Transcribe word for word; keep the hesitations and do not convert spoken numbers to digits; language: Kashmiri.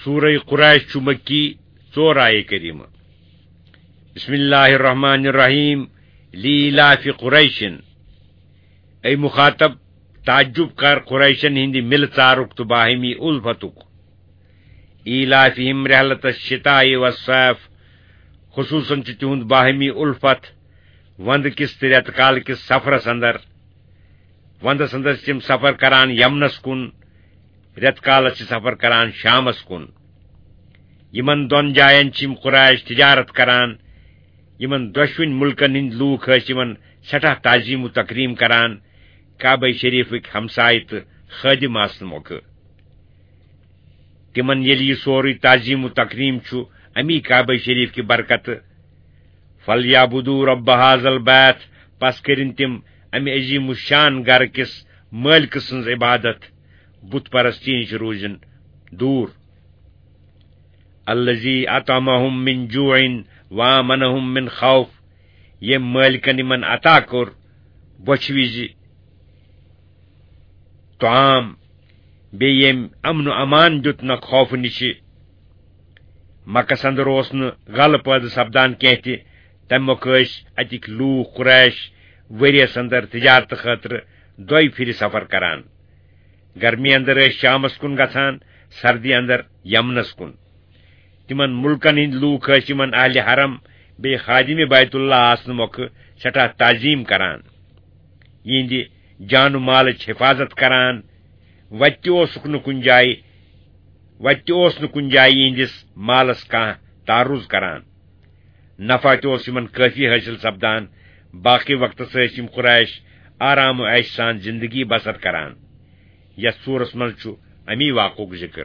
سورہ قریش چھُ مکی، ژور آیے کریمہ۔ بسم اللہ الرحمن الرحیم۔ لیلاف قریشن۔ اے مخاطب، تعجب کر قریشن ہندِ مِلہٕ ژارُک تہٕ باہمی الفتُک۔ ایلافہم رحلت الشتاء والصیف، خصوصاً چھُ تِہُنٛد باہمی الفت وندٕ کِس تہٕ رٮ۪تہٕ کالہٕ کِس سفرس اندر۔ وندس اندر چھِ تِم سفر کران یمنس کُن، رٮ۪تہٕ کالس چھِ سفر کران شامس کُن۔ یِمن دۄن جاین چھِ یِم قریش تجارت کران۔ یِمن دۄشوٕنۍ مُلکن ہٕنٛدۍ لوٗکھ ٲسۍ یِمن سٮ۪ٹھاہ تعظیم و تکریم کران، کعبہ شریفٕکۍ ہمسایہِ تہٕ خٲدِم آسنہٕ مۄکھٕ۔ تِمن ییٚلہِ یہِ سورُے تعظیم و تکریم چھُ امی کعبہ شریف کہِ برکتہٕ، فَلْيَعْبُدُوا رَبَّ هَٰذَا الْبَيْتِ، پس کٔرِن تِم امہِ عظیم الشان گرٕ کِس مٲلکہٕ سٕنٛز عبادت، بت پرستی نِش روٗزِن دوٗر۔ الَّذِي أَطْعَمَهُم مِّن جُوعٍ وَآمَنَهُم مِّن خَوْفٍ، ییٚمۍ مٲلکن یِمن عطا کوٚر بۄچھِ وِزِ طعام، بیٚیہِ ییٚمۍ امن و امان دیُت نہ خوفہٕ نِشہِ۔ مکس اندر اوس نہٕ غلہٕ پٲدٕ سپدان کینٛہہ تہِ، تمہِ مۄکھٕ ٲسۍ اتِکۍ لوٗکھ قریش ؤریس اندر تجارتہٕ خٲطرٕ دۄیہِ پھِرِ سفر کران۔ گرمی اندر ٲسۍ شامس کُن گژھان، سردی اندر یمنس کُن۔ تِمن مُلکن ہٕنٛدۍ لوٗکھ ٲسۍ یِمن اہلِ حرم بیٚیہِ خادِمِ بیت اللہ آسنہٕ مۄکھٕ سٮ۪ٹھاہ تعظیم کران۔ یِہنٛدِ جان و مالٕچ حفاظت کران۔ وتہِ تہِ اوسُکھ نہٕ کُنہِ جایہِ، وتہِ تہِ اوس نہٕ کُنہِ جایہِ یِہنٛدِس مالس کانٛہہ تعرض کران۔ نفع تہِ اوس یِمن کٲفی حٲصِل سپدان۔ باقٕے وقتس ٲسۍ یِم قریش آرام و عیش سان زندگی بسر کران۔ یتھ سورس منٛز چھُ امی واقعُک ذکر۔